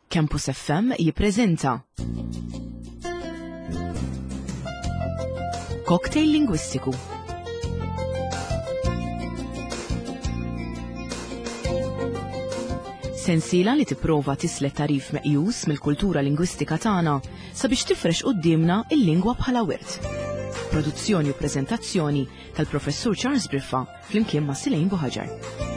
Campus FM jippreżenta Cocktail Lingwistiku. Sensiela li tipprova tislet tarif meqjus mill-kultura lingwistika tagħna sabiex tifrex quddiemna il-lingwa bħala wirt. Produzzjoni u preżentazzjoni tal-Professur Charles Briffa flimkien ma' Silejn Buħaġar.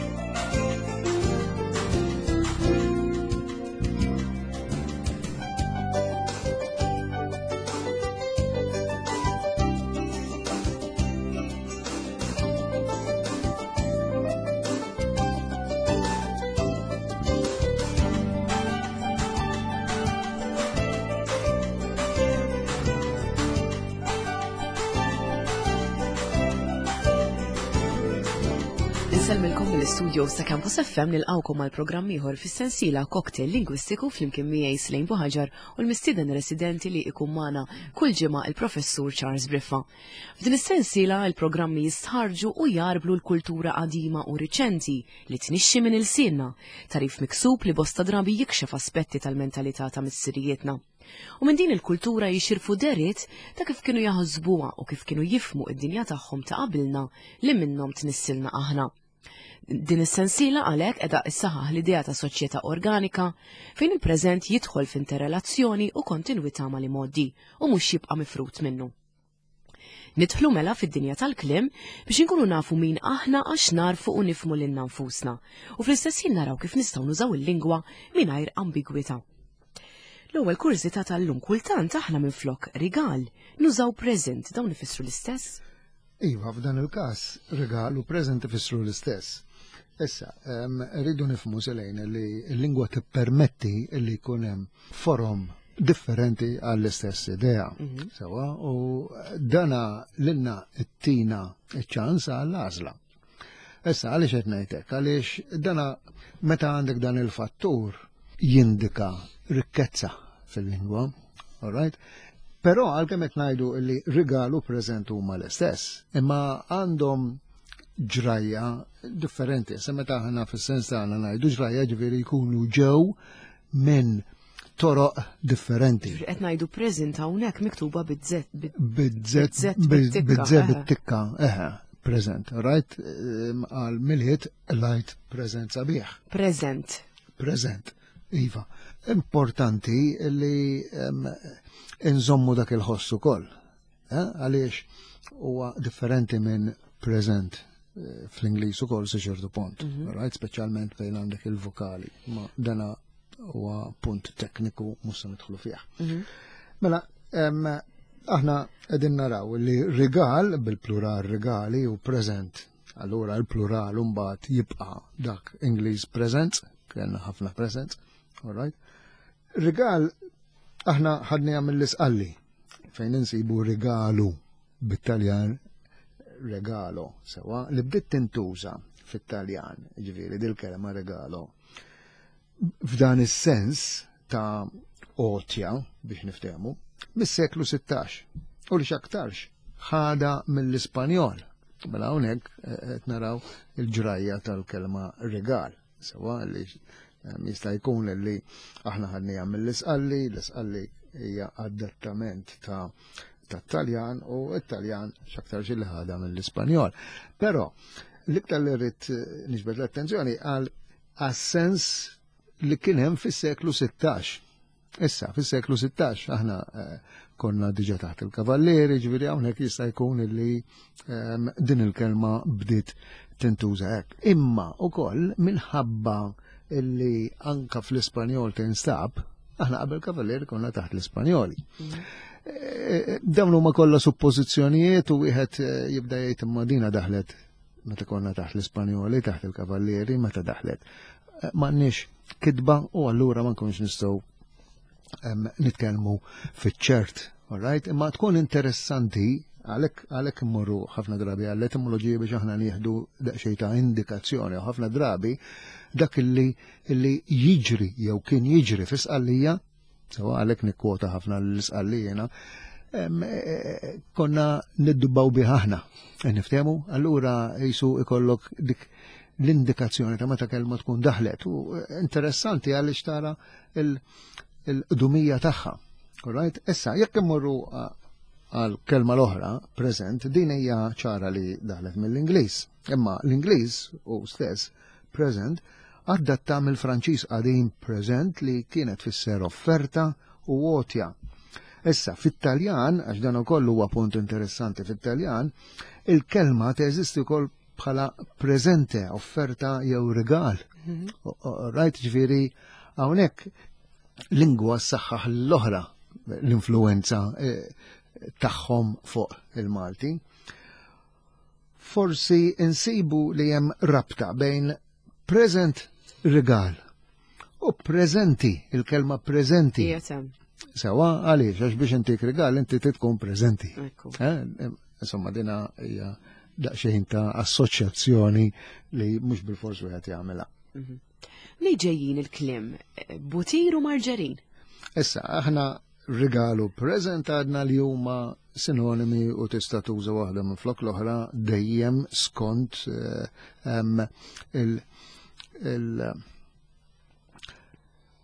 Insellmilkom mill-istudios ta' Campus FM nilqawkom għal programm ieħor fis-sensiela Cocktail Lingwistiku flimkien miegħi Slejn Buħaġar u l-mistieden residenti li ikun magħna kull ġimgħa il-Professur Charles Briffa. F'din is-sensiela il-programmi jistħarġu u jarblu l-kultura qadima u riċenti li tnixxi minn ilsienna, tarif miksub li bosta drabi jikxef aspetti tal-mentalità ta' missirijietna. U minn din il-kultura jixirfu deriet ta' kif kienu jaħsbuha u kif kienu jifmu id-dinja tagħhom ta' qabilna li minnhom tnissilna aħna. Din is-sensiela għalhekk qiegħda issaħaħ l-idea ta' soċjetà organika fejn il-preżent jidħol f'interrelazzjoni u kontinwità mal-imgħoddi u mhux jibqa' mifrut minnu. Nidħlu mela fid-dinja tal-kliem biex inkunu nafu min aħna għax narfu u nifmu lilna nfusna u fl-istess ħin naraw kif nistgħu nużaw il-lingwa mingħajr ambigwità. L-ewwel kurżità tal-lum kultant aħna minflok rigal nużaw present dawn ifissru l-istess? Iva, f'dan il-każ rigal u present ifissru l-istess. Issa, rridu nifhmu selejn li l-lingwa tippermetti li jkun hemm forom differenti għall-istess idea. Mhm. Sewa, u dana lilna t-tina ċans għall-għażla. Issa, għaliex qed ngħidlek? Għaliex dana meta għandek dan il-fattur jindika rikkezza fil-lingwa, all right? Però għalkemm qed ngħidu li rigalu preżent huma l-istess, imma għandhom ġrajja differenti. Se meta aħna fis-sens tagħna ngħidu ġrajja ġifieri jkunu ġew minn toroq differenti. Qed ngħidu present hawnhekk miktuba biz-Z. Biz-Z, biz-Z bit-tikka, eħe, present, right? Għal milħit lajt present sabiħ. Present. Present, iva. Importanti li nżommu dak il-ħoss ukoll. Eh, għaliex huwa differenti minn present eh, fl-Ingliż ukoll sa ċertu punt, mhm. right? Speċjalment fejn għandek il-vokali, ma dana huwa punt tekniku mhux se nidħlu fih. Mhm. Mela, aħna qegħdin naraw li rigal bil-plural regali u present. Allura l-plural mbagħad jibqa' dak Ingliż present, kellna ħafna present, all right? Rigal aħna ħadniha mill-isqalli fejn insibu rigalu bit-Taljan regalo sewa li bdiet tintuża fit-Taljan, ġifieri dil-kelma regalo. F'dan is-sens ta' għotja biex niftehmu mis-seklu 16 u li x'aktarx ħada mill-Ispanjol. Mela hawnhekk eh, qed naraw il-ġrajja tal-kelma regal. Sewa li ehm, jista' jkun li aħna ħadniha mill-isqalli, l-isqalli hija adattament ta' tat-Taljan u t-Taljan x'aktar xi li ħadha mill-Ispanjol. Però l-iktar li rrid eh, niġbed l-attenzjoni għal għas-sens li kien hemm fis-seklu 16. Issa, fis-seklu 16 aħna eh, konna diġa taħt il-kavallieri, ġifieri hawnhekk jista' jkun illi ehm, din il-kelma bdiet tintuża hekk. Imma ukoll minħabba illi anka fl-Ispanjol tinstab, aħna qabel kavallieri konna taħt l-Ispanjoli. Mm. Eh, eh, dawn huma kollha suppożizzjonijiet u wieħed jibda jgħid imma dina daħlet meta konna taħt l-Ispanjoli, taħt il-Kavallieri, meta daħlet. M'għandniex kitba u allura ma nkunx nistgħu nitkellmu fiċ-ċert, all right? Imma tkun interessanti għalhekk għalhekk immorru ħafna drabi għall-etimoloġija biex aħna nieħdu daqsxejn ta' indikazzjoni u ħafna drabi dak illi illi jiġri jew kien jiġri fi sqallija, sewa għalhekk nikkwota ħafna l-isqallijena, e, e, konna niddubbaw bih aħna. E, niftehmu, allura jisu ikollok dik. l-indikazzjoni ta' meta kelma tkun daħlet u interessanti għaliex tara il-qdumija tagħha. Alright? Issa, jekk immorru għal kelma l-oħra, present, din hija ċara li daħlet mill-Ingliż. Imma l-Ingliż u stess present adatta mill-Franċiż qadim present li kienet tfisser offerta u għotja. Issa, fit-Taljan, għax dan ukoll huwa punt interessanti fit-Taljan, il-kelma teżisti wkoll bħala preżente, offerta jew rigal. Rajt ġifieri hawnhekk lingwa saħħaħ l-oħra l-influenza eh, tagħhom fuq il-Malti. Forsi insibu li hemm rabta bejn present rigal u preżenti, il-kelma preżenti. Sewa, għaliex, għax biex intik rigal inti tkun preżenti. Eh, insomma, dina hija daqsxejn ta' assoċjazzjoni li mhux bil-fors wieħed jagħmilha. Mhm. Li ġejjin il-kliem eh, butir u marġerin. Issa, aħna rigalu preżent għadna li huma sinonimi u tista' tuża waħda minn flok l-oħra dejjem skont eh, il-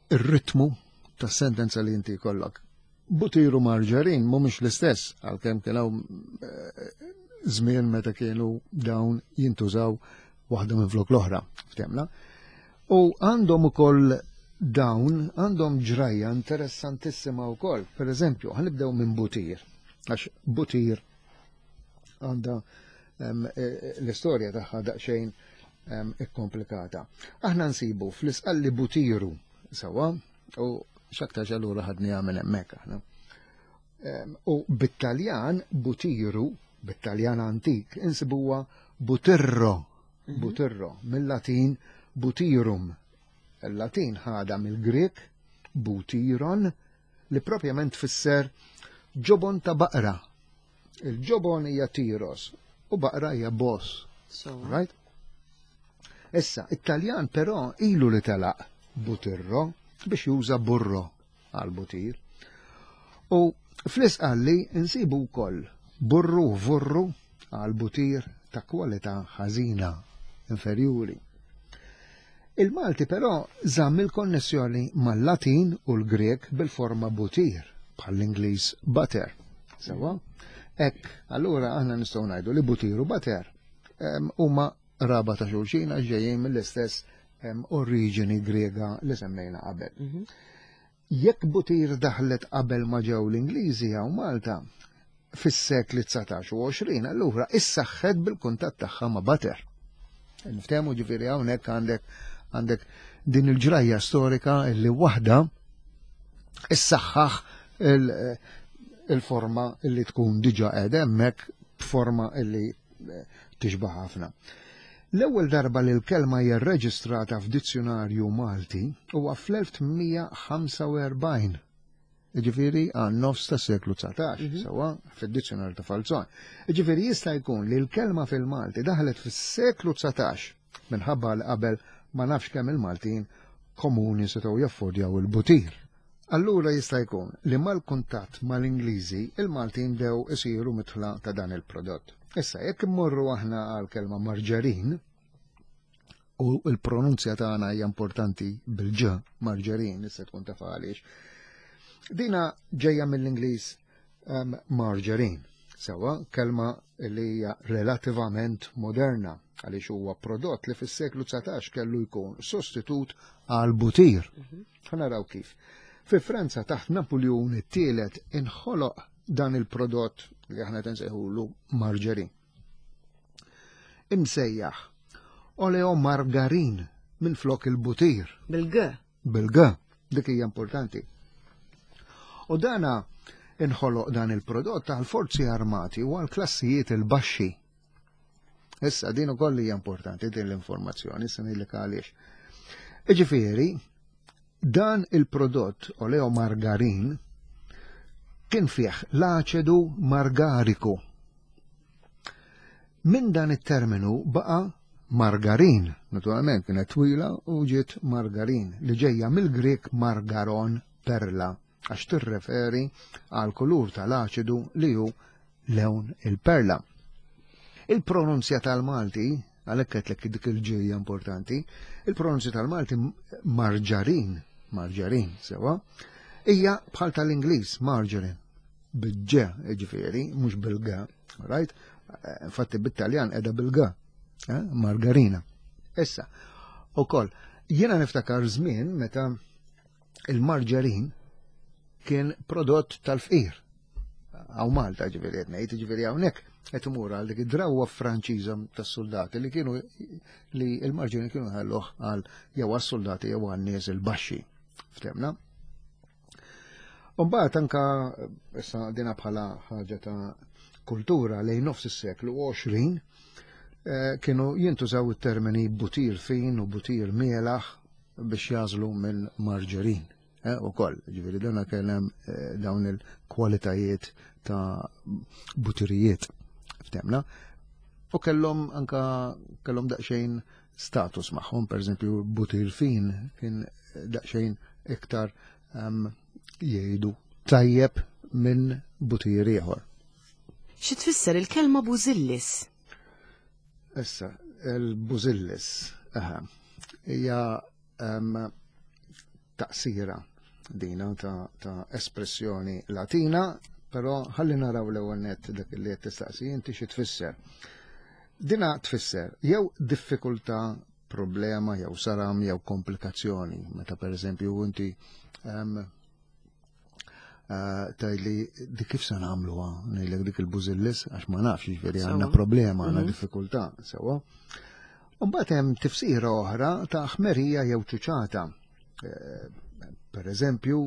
il-ritmu ta' sentenza li inti kollok. Butiru marġarin mhumiex l-istess għalkemm kien hawn eh, żmien meta kienu dawn jintużaw waħda minn flok l-oħra, ftemna. U għandhom ukoll dawn għandhom ġrajja interessantissima wkoll. Per eżempju, ħanibdew minn butir, għax butir għandha e, l-istorja tagħha daqsxejn ikkomplikata. Aħna nsibu fl-isqalli butiru sewwa u x'aktar allura ħadni minn hemmhekk aħna. U bit-Taljan butiru, bit-Taljan antik, insibuha butirro, mhm. butirro, mill-Latin butirum. Il-Latin ħada mill-Grek butiron li propjament tfisser ġobon ta' baqra. Il-ġobon hija tiros u baqra hija bos. So. Right? Issa, it-Taljan però ilu li telaq butirro biex juża burro għal butir. U fl-isqalli nsibu wkoll burru vurru għal butir ta' kwalità ħażina inferjuri. Il-Malti però żamm il-konnessjoni mal-Latin u l-Grek bil-forma butir, bħall-Ingliż butter. Sewa? Hekk, allura aħna nistgħu ngħidu li butir u butter huma raba ta' xulxin għax ġejjin mill-istess oriġini Griega li semmejna qabel. Mhm. Jekk butir daħlet qabel ma ġew l-Ingliżi hawn Malta, fis-sekli 19 u 20, allura issaħħet bil-kuntatt tagħha ma' butter. Niftehmu ġifieri hawnhekk għandek għandek din il-ġrajja storika li waħda issaħħaħ il-forma li tkun diġa qiegħda hemmhekk b'forma li tixbaħ ħafna. L-ewwel darba li l-kelma hija rreġistrata f'dizzjunarju Malti huwa fl-1845. Jiġifieri għan nofs tas-seklu 19, mhm. sewwa fid-dizzjunarju ta' Falzon. Jiġifieri jista' jkun li l-kelma fil-Malti daħlet fis-seklu 19 minħabba li qabel ma nafx kemm il-Maltin komuni setgħu jaffordjaw il-butir. Allura jista' jkun li mal-kuntatt mal-Ingliżi il-Maltin bdew isiru midħla ta' dan il-prodott. Issa jekk immorru aħna għal kelma marġarin, u l-pronunzja tagħna hija importanti bil-ġ marġarin, issa tkun taf għaliex. Dina ġejja mill-Ingliż um, margarine. Sewa, kelma li hija relativament moderna għaliex huwa prodott li fis-seklu 19 kellu jkun sostitut għal butir. Mhm. Ħa naraw kif. Fi Franza taħt Napoleon it-tielet inħoloq dan il-prodott li aħna tinsejħulu marġerin. Imsejjaħ oleo margarin minn flok il-butir. Bil-g. Bil-g, dik hija importanti. U dana inħoloq dan il-prodott għal forzi armati u għal klassijiet il-baxxi. Issa din ukoll hija importanti din l-informazzjoni, issa ngħidlek għaliex. Iġifieri, dan il-prodott oleo margarin kien fih l-aċedu margariku. Minn dan it-terminu baqa' margarin, naturalment kienet twila u ġiet margarin li ġejja mill-Grek margaron perla għax tirreferi għal kulur tal-aċidu li hu lewn il-perla. Il-pronunzja tal-Malti Għalhekk għedtlek dik il-ġejja importanti. Il-pronunzja tal-Malti marġarin, marġarin, sewa, hija bħal tal-Ingliż, margarine, bil-ġe, ġifieri, mhux bil-g, right? Infatti bit-Taljan qiegħda bil-g, eh, margarina. Issa, ukoll, jiena niftakar żmien meta il-marġarin kien prodott tal-fqir. Għaw Malta ġifieri qed ngħid, ġifieri hawnhekk qed imur għal dik id-drawwa Franċiża tas-soldati li kienu li l-marġini kienu ħalluh għal jew għas-soldati jew għan-nies il-baxxi. Ftemna? Umbagħad anka issa dina bħala ħaġa ta' kultura lejn nofs is-seklu 20 eh, kienu jintużaw it-termini butir fin u butir mielaħ biex jażlu minn marġerin eh, u koll. Ġifieri dana kellem eh, dawn il-kwalitajiet ta' butirijiet ftemna. U kellhom anka kellhom daqsxejn status magħhom, per eżempju butir fin kien daqsxejn iktar um, jgħidu tajjeb minn butir ieħor. Xi tfisser il-kelma bużillis? Issa, il-bużillis, aha, hija um, taqsira dina ta', ta espressjoni latina, però ħalli naraw l-ewwel nett dak li qed tistaqsi inti xi tfisser. Dina tfisser jew diffikultà, problema, jew saram, jew komplikazzjoni. Meta per eżempju inti um, eh, tajli di kif se nagħmluha ngħidlek dik il-bużillis għax ma nafx jiġifieri għandna problema, għandna mhm. diffikultà, sewwa. Mbagħad hemm tifsira oħra ta' ħmerija jew ċuċata. Eh, per eżempju,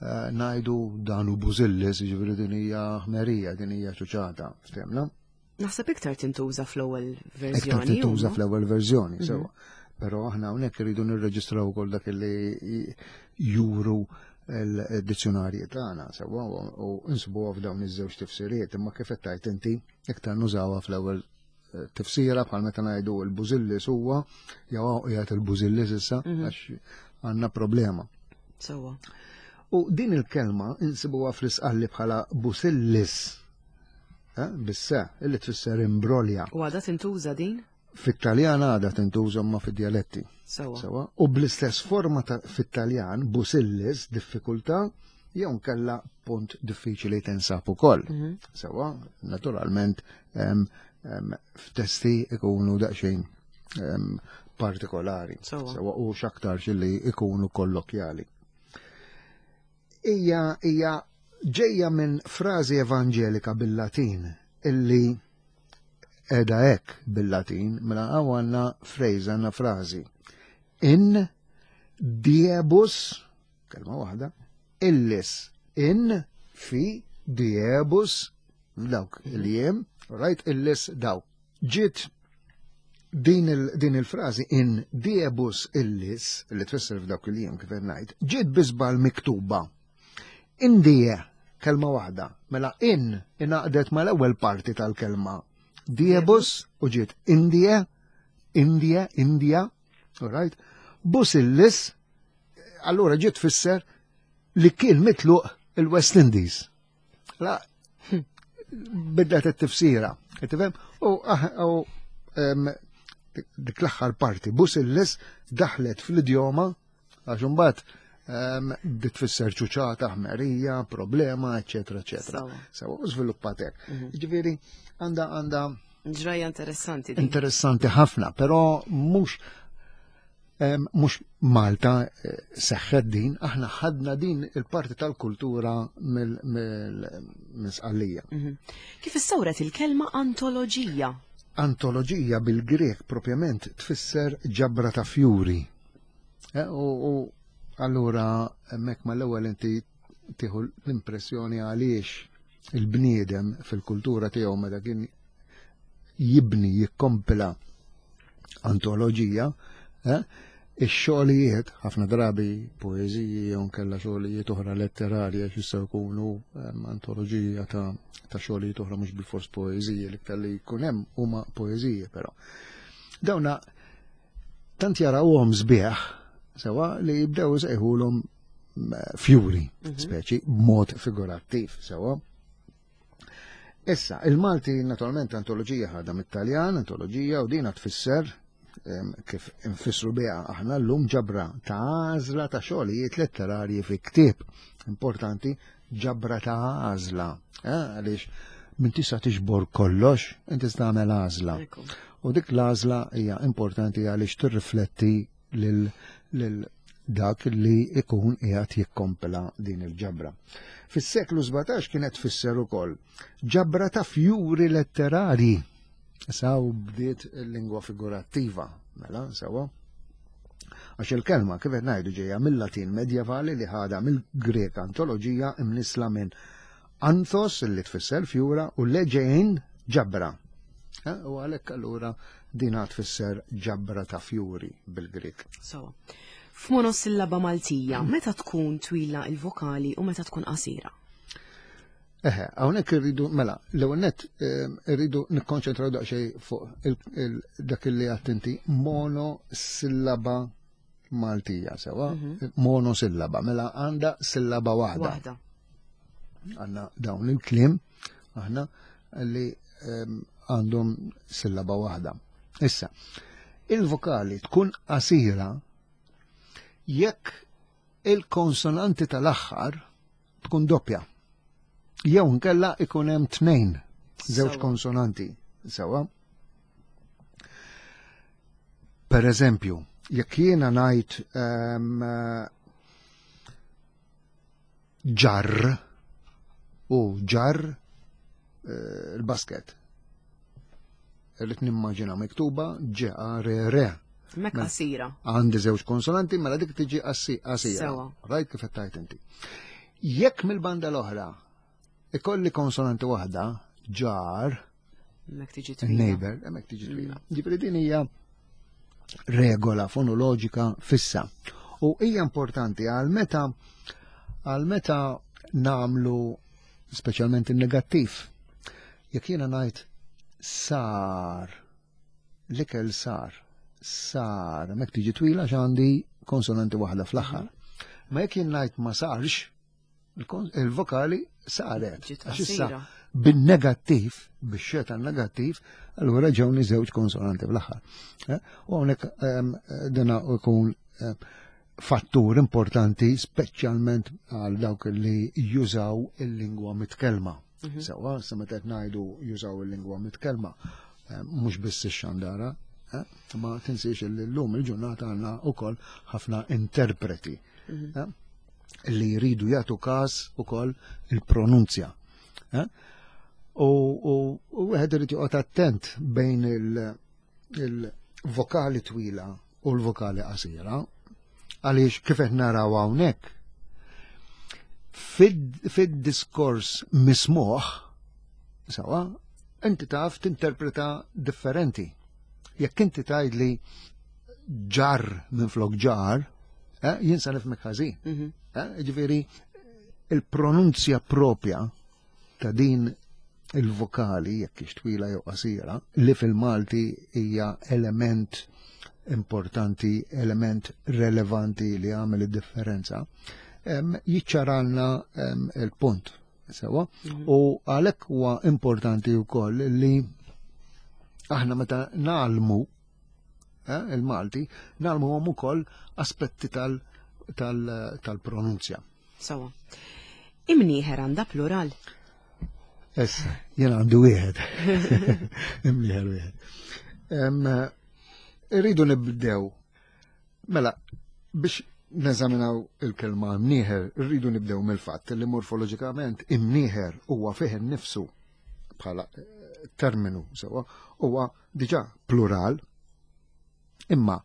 eh, ngħidu dan hu bużillis, jiġifieri din hija ħmerija, din hija ċuċata, ftemna? Naħseb iktar tintuża fl-ewwel verżjoni. Iktar tintuża fl-ewwel verżjoni, mhm. sewa. Però aħna hawnhekk irridu nirreġistraw ukoll dak li juru l-dizzjonarji tagħna sewa u nsibuha f'dawn iż-żewġ tifsiriet, imma kif qed tgħid inti iktar nużawha fl-ewwel eh, tifsira bħal meta ngħidu l-bużillis huwa jew qiegħed il-bużillis issa mhm. għax għandna problema. Sewa. U din il-kelma insibuha fl-isqalli bħala busillis Eh, bisse, illi tfisser imbrolja. U għadha tintuża din? Fit-Taljan għadha tintuża ma fid-dialetti. Sewa. U bl-istess forma fit-Taljan, busillis, diffikultà, jew nkella punt diffiċli tinsab ukoll. Mhm. Sewa, naturalment, f'testi ikunu daqsxejn partikolari. Sewa, u x'aktar li ikunu kollokjali. Hija hija ġejja minn frażi evanġelika bil-Latin illi qiegħda hekk bil-Latin, mela hawn għandna phrase, għandna frażi. In diebus, kelma waħda, illis, in fi diebus, dawk il-jiem, right, illis dawk. Ġiet din il, il-frażi in diebus illis, li tfisser f'dawk il-jiem kif qed ngħid, ġiet bi żball miktuba. In die, kelma waħda, mela in ingħaqdet mal-ewwel parti tal-kelma diebus u ġiet indie, India, India, all right? Bus illis, allura ġiet tfisser li kien mitluq il-West Indies. La, bidlet it-tifsira, tifhem? U ah, dik l-aħħar parti, bus il-lis daħlet fl-idjoma għax imbagħad bdiet tfisser ċuċata, ħmerija, problema, eċetera, eċetera. Sewa, u żviluppat hekk. Mhm. Ġifieri għandha għandha Ġrajja interessanti. Interessanti ħafna, però mhux Mhux Malta eh, seħħet din, aħna ħadna din il-parti tal-kultura mill-Sqallija. Mhm. Kif issawret il-kelma antoloġija? Antoloġija bil-Grek propjament tfisser ġabra ta' fjuri. Eh, u allura hemmhekk mal-ewwel inti tieħu l-impressjoni għaliex il-bniedem fil-kultura tiegħu meta kien jibni jikkompila antoloġija, eh, ix-xogħlijiet, ħafna drabi poeżiji jew nkella xogħlijiet oħra letterarji għax jistgħu jkunu ehm, antoloġija ta', ta xogħlijiet oħra mhux bil-fors poeżiji li kelli jkun hemm huma poeżiji però. Dawna tant jarawhom sbieħ sewa li jibdew isejħulhom eh, fjuri, mhm. speċi b'mod figurattiv sewa. Issa, il-Malti naturalment antoloġija ħadha mit-Taljan, antoloġija u dina tfisser kif infissru biha aħna llum ġabra ta' għażla ta' xogħlijiet letterarji fi ktieb. Importanti, ġabra ta' għażla. Eh, għaliex minn tista' tiġbor kollox, inti tagħmel għażla. U dik l-għażla hija importanti għaliex tirrifletti lil dak li ikun qiegħed jikkompla din il-ġabra. Fis-seklu 17 kienet tfisser ukoll ġabra ta' fjuri letterari. Saw bdiet il-lingwa figurattiva, mela, sewa. Għax il-kelma kif qed ngħidu ġejja mill-Latin medjevali li ħadha mill-Grek antoloġija imnisla minn anthos li tfisser fjura u leġejn ġabra. Eh, u għalhekk allura din tfisser ġabra ta' fjuri bil-Grek. So, f'monosillaba Maltija, meta tkun twila il-vokali u meta tkun qasira? Eħe, hawnhekk irridu, mela, l-ewwel nett ehm, irridu nikkonċentraw daqsxejn fuq dak li għadt inti monosillaba Maltija sewa, mhm. monosillaba, mela għandha sillaba waħda. Waħda. Għandna dawn il-kliem aħna li ehm, għandhom sillaba waħda. Issa, il-vokali tkun qasira jekk il-konsonanti tal-aħħar tkun doppja. Jew nkella ikun hemm tnejn żewġ konsonanti sewa. Per eżempju, jekk jiena ngħid ehm, ġarr u ġarr eh, il-basket. Irrid nimmaġina miktuba ġ-r r. Mek mela, qasira. Għandi żewġ konsonanti, mela dik tiġi qasira. Rajt kif qed tgħid inti. Jekk mill-banda l-oħra ikolli konsonanti waħda, ġar, Mek tiġi twila. Neighbor, hemmhekk tiġi twila. Mm. Ġifieri din hija regola fonoloġika fissa. U hija importanti għal meta għal meta namlu speċjalment il-negattiv. Jekk jiena ngħid sar, l-ikel sar, sar, mek tiġi twila x'għandi konsonanti waħda fl-aħħar. Ma jekk jien ngħid ma sarx, il-vokali saret. Għax issa bin-negattiv, bix-xeta negattiv, allura ġewni żewġ konsonanti fl-aħħar. Eh, u hawnhekk ehm, dina ikun eh, fattur importanti speċjalment għal dawk li jużaw il-lingwa mitkellma. Mhm. Sewa, sa meta qed ngħidu jużaw il-lingwa mitkellma, eh, mhux biss ix-xandara, eh, ma tinsiex li llum il-ġurnata għandna wkoll ħafna interpreti mhm. eh, li jridu jagħtu każ ukoll il-pronunzja. U wieħed irid joqgħod attent bejn il-vokali twila u l-vokali qasira, għaliex kif qed naraw hawnhekk fid-diskors mismuħ, sawa, inti taf tinterpreta differenti. Jekk inti tgħidli ġar minn flok ġar, eh, jien sa nifhmek ħażin. Mhm. Eh, ġifieri il-pronunzja propja ta' din il-vokali, jekk hix twila jew qasira, li fil-Malti hija element importanti, element relevanti li għamel id-differenza, jiċċaralna il-punt. Sewa, mhm. u għalhekk huwa importanti wkoll li aħna meta nagħlmu eh, il-Malti, nagħlmuhom ukoll aspetti tal-pronunzja. Sawa. Imnieħer għandha plural. Issa, jena għandu wieħed. Imnieħer wieħed. Irridu nibdew. Mela, biex neżaminaw il-kelma imnieħer, irridu nibdew mill-fatt li morfoloġikament imnieħer huwa fih innifsu bħala eh, terminu sewa huwa diġà plural Imma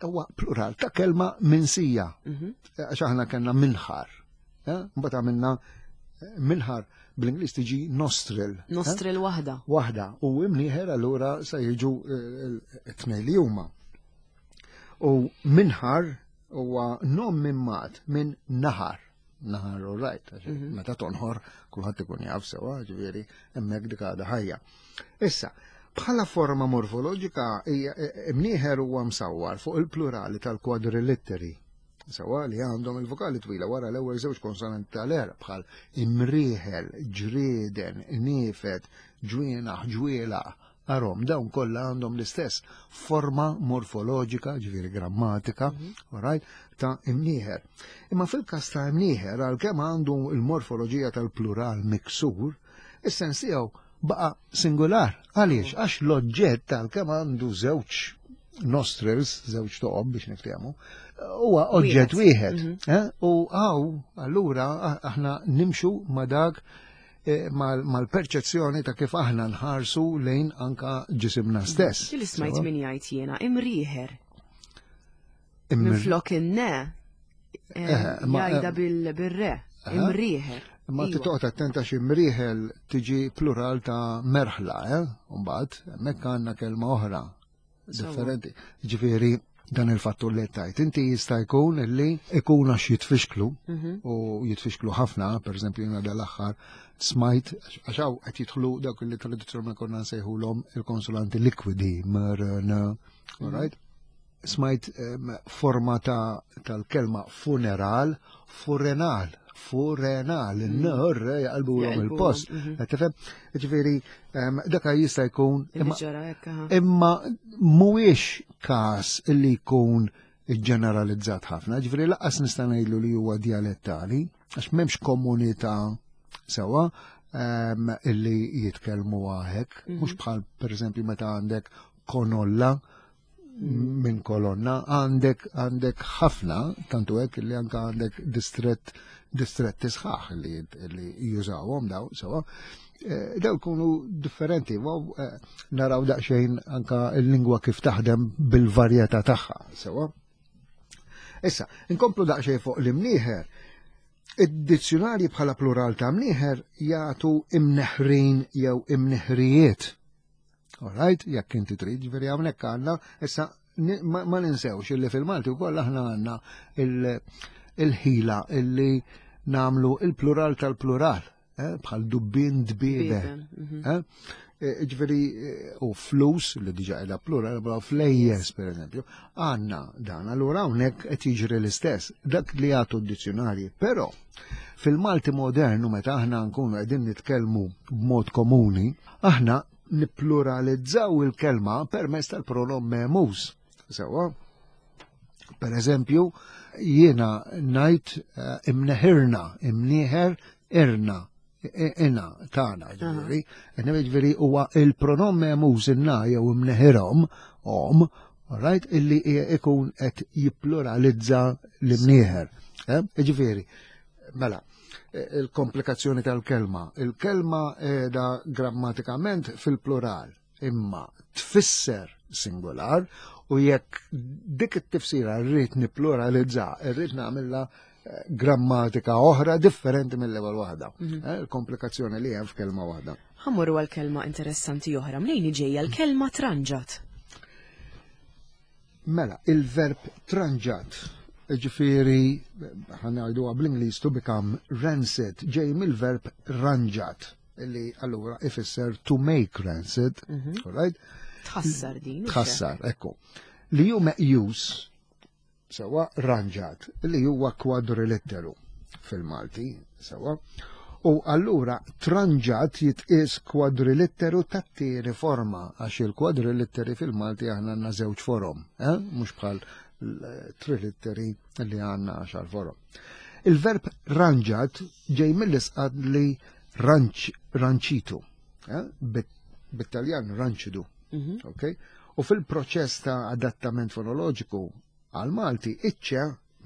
huwa plural ta' kelma minsija. Mhm. Għax aħna kellna minħar. Eh? Mbagħad għamilna eh, minħar bl-Ingliż tiġi nostril. Eh? Nostril waħda. Waħda. U imnieħer allura se jiġu t-tnejn li huma. U minħar huwa nom minn mat minn naħar. Naħar u rajt, mhm. meta tonħor kulħadd ikun jaf sewa, ġifieri hemmhekk dik għadha ħajja. Issa, bħala forma morfoloġika e, e, mnieħer huwa msawwar fuq il-plurali tal-kwadrilitteri. Sewa li għandhom il-vokali twila wara l-ewwel żewġ konsonanti tal-għerq bħal imrieħel, ġrieden, niefed, ġwienaħ, ġwielaq, arom, dawn kollha għandhom l-istess forma morfoloġika, ġifieri grammatika, mhm. right, ta' imnieħer. Imma fil-każ ta' imnieħer, għalkemm għandu l-morfoloġija tal-plural miksur, is-sens tiegħu baqa' singular. Għaliex? Għax l-oġġett għalkemm għandu żewġ nostrils, żewġ toqob biex niftehmu, huwa oġġett wieħed. Mhm. Eh? U għaw, allura aħna nimxu ma dak eh, mal-perċezzjoni ta' kif aħna nħarsu lejn anka ġisimna mhm. stess. Li smajt min jgħid jiena imrieħer. Minflok in-ne, eh, jgħidha bil-re, imrieħer. Ma iva. titoqgħod attenta xi mrieħel tiġi plural ta' merħla, eh? Mbagħad hemmhekk għandna kelma oħra differenti. Ġifieri dan il-fattur li tajt. Inti jista' jkun li ikun għax jitfixklu mhm. u jitfixklu ħafna, per eżempju jiena dal-aħħar smajt għax hawn qed jidħlu dawk li tradizzjonalment konna nsejħulhom il-konsulanti likwidi mr n, mhm. right? Smajt forma ta' tal-kelma funeral, furenal, furenal, mm. n-ner jaqalbu l il-post. Mhm. Tifhem? Ġifieri, daka jista' jkun. Imma mhuwiex każ li jkun ġeneralizzat ħafna, ġifieri laqas nista' ngħidlu li huwa dialettali, għax m'hemmx komunità sewa illi jitkellmu għahek, mhm. mhux bħal pereżempju meta għandek konolla minn kolonna għandek għandek ħafna tantu hekk li anka għandek distret distretti sħaħ li, li jużawhom daw sewa. Eh, daw jkunu differenti, eh, naraw daqsxejn anka l-lingwa kif taħdem bil-varjetà tagħha, sewa. Issa, inkomplu daqsxejn fuq l-imnieħer. Id-dizzjonarji bħala plural ta' mnieħer jagħtu imneħrin jew imneħrijiet. All right, jekk inti trid, ġifieri hawnhekk għandna issa ma ninsewx illi fil-Malti wkoll aħna għandna il-ħila illi namlu il-plural tal-plural, eh, bħal dubbin dbiebe. Mhm. Eh, eh, ġifieri u flus li diġa qiegħda plural, bħal flejjes pereżempju, għandna dan, allura hawnhekk qed jiġri l-istess, dak li jagħtu d-dizzjonarji, però Fil-Malti modern u meta aħna nkunu qegħdin nitkellmu b'mod komuni, aħna nippluralizzaw il-kelma permezz tal-pronom memus. Sewa, per eżempju, jiena ngħid eh, imneħirna, imnieħer irna, ina tagħna ġifieri. Ġifieri huwa il-pronom memus inna jew imneħirhom om, right, illi ikun qed jippluralizza l-imnieħer. Eh? Ġifieri, mela, eh, il-komplikazzjoni tal-kelma. Il-kelma da grammatikament fil-plural, imma tfisser singular u jekk dik it-tifsira rrid nippluralizza, rrid nagħmilha eh, grammatika oħra differenti mill-ewwel waħda. Mhm. Eh, il-komplikazzjoni li hemm f'kelma waħda. Ħammorru għal kelma interessanti oħra, mnejn ġejja l-kelma tranġat. Mela, il-verb tranġat, ġifieri ħanajdu bl-Ingliż to become rancid, ġej mill-verb ranġat, li allura ifisser to make rancid, mm -hmm. right? Tħassar din. Tħassar, ekku. Li ju meqjus sewa ranġat, li huwa kwadrilitteru fil-Malti, sewa. U allura tranġat jitqies kwadrilitteru tat-tieni forma, għax il-kwadrilitteri fil-Malti aħna għandna żewġ forom, eh? mhux bħal trilitteri li għandna għaxar forom. Il-verb ranġat ġej mill-isqad li ranċ, ranċitu, eh? bit-Taljan ranċidu. Mm -hmm. okay? U fil-proċess ta' adattament fonoloġiku għal-Malti, iċ-ċe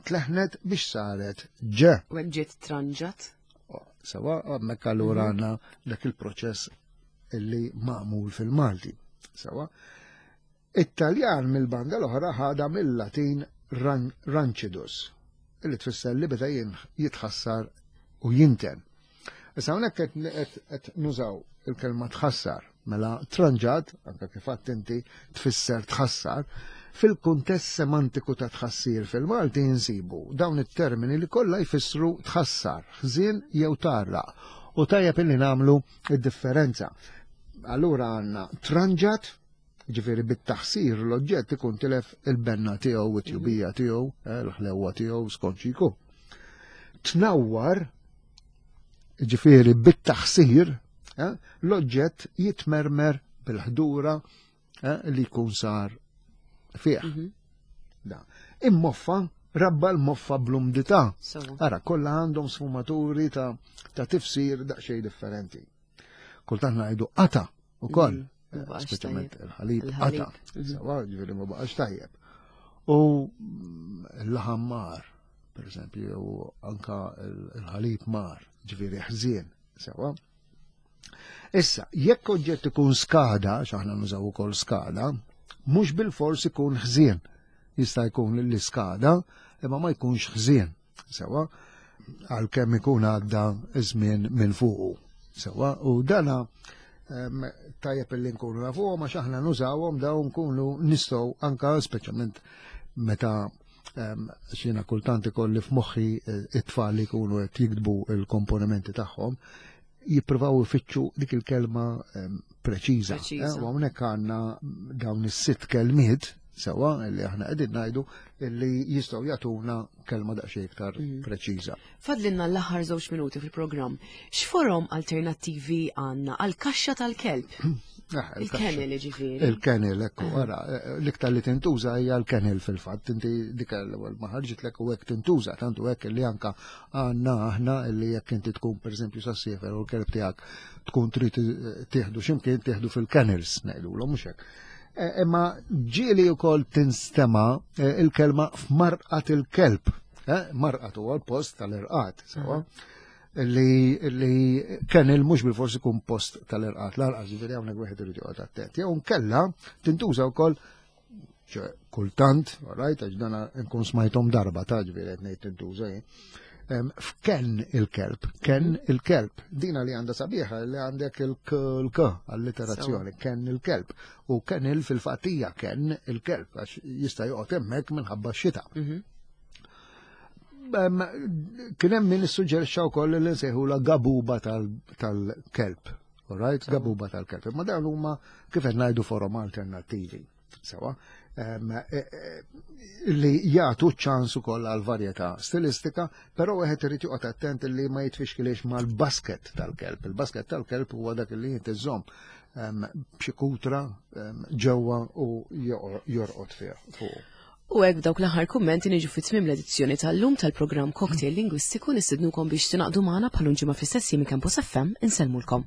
tleħnet biex saret ġe. U hekk ġiet tranġat? Sewa, hemmhekk allura mhm. għandna dak il-proċess illi magħmul fil-Malti. Sewa. It-Taljan mill-banda l-oħra ħada mill-Latin rancidus, illi tfisser li beda jitħassar u jinten. Issa hawnhekk qed nużaw il-kelma tħassar, mela tranġat, anke kif għadt inti tfisser tħassar, fil-kuntest semantiku ta' tħassir fil-Malti insibu dawn it-termini li kollha jfissru tħassar, ħżien jew tgħarraq. U tajjeb illi nagħmlu id-differenza. Allura għandna tranġat. Ġifieri bit-taħsir l-oġġett ikun tilef il-benna tiegħu, it-tjubija tiegħu, eh, l-ħlewwa tiegħu skont xi jkun. Tnawwar, ġifieri bit-taħsir, eh, l-oġġett jitmermer bil-ħdura eh, li jkun sar fih. Mhm. Da. Immoffa, rabba l-moffa bl-umdità. Ara, kollha għandhom sfumaturi ta', ta tifsir daqsxejn differenti. Kultant ngħidu qata ukoll. Mm, eh, speċjalment il-ħalib qata. Mhm. Sawa, ġifieri ma baqax tajjeb. U mm, l-laħam mar, per eżempju, u anka l-ħalib mar, ġifieri ħżien, sewa. Issa, jekk oġġett ikun skada, x'aħna nużaw ukoll skada, mhux bil-fors ikun ħżien. Jista' jkun li skada, imma ma jkunx ħżien. Sewa, għalkemm ikun għadda żmien minn fuqu. Sewa, u dana tajjeb li nkunu nafuhom għax aħna nużawhom dawn nkunu nistgħu anka speċjalment meta xina kultant ikolli f'moħħi eh, it-tfal li jkunu qed jiktbu l-komponimenti tagħhom, jippruvaw ifittxu dik il-kelma preċiża. Eh, u hawnhekk għandna dawn is-sitt kelmiet sewa li aħna qegħdin ngħidu li jistgħu jagħtuna kelma daqsxejn iktar mm. preċiża. Fadlinna l-aħħar żewġ minuti fil-programm. X'forom alternattivi għandna għall-kaxxa tal-kelb? Ah, il-kennel ġifieri. Il-kennel, ekku, ara, eh, l-iktar li tintuża hija l-kennel fil-fatt, inti dik l-ewwel ma ħarġitlek u hekk tintuża, tantu hekk li anka għandna aħna li jekk inti tkun pereżempju sa siefer u l-kelb tiegħek tkun trid tieħdu x'imkien tieħdu fil-kennels ngħidulhom mhux hekk. E, imma ġieli wkoll tinstema e, il-kelma f'marqat il-kelb. E, marqat huwa l-post tal-irqat, sewa. Li, li kennel mhux bil-forsi kun post tal-irqat, l-arqas ġifieri hawnhekk wieħed irid joqgħod attent. Jew nkella tintuża wkoll kultant, right, għax dana nkun smajtom darba ta' ġifieri qed ngħid tintuża jien. F'ken il-kelb, ken mhm. il-kelb, dina li għandha sabiħa li għandek il-k alliterazzjoni, ken il-kelb. U ken il fil-fatija ken il-kelb, għax jista' joqgħod hemmhekk minħabba x-xita. Mhm. Kien hemm min issuġġerixxa wkoll li nsejħula gabuba tal-kelb. All right, gabuba tal-kelb. Ma dawn huma kif qed ngħidu forom alternattivi. Sewa, e, e, li jagħtu ċans ukoll għal varjetà stilistika, però wieħed irid joqgħod attent li ma jitfixkilix mal-basket tal-kelb. Il-basket tal-kelb huwa dak li inti żomm b'xi kutra ġewwa u jorqod fih fuq. U hekk b'dawk l-aħħar kummenti niġu fi tmiem l-edizzjoni tal-lum tal-programm Cocktail Lingwistiku nistidnukom biex tingħaqdu magħna bħal ġimgħa fl-istess jiem Campus FM insellmulkom.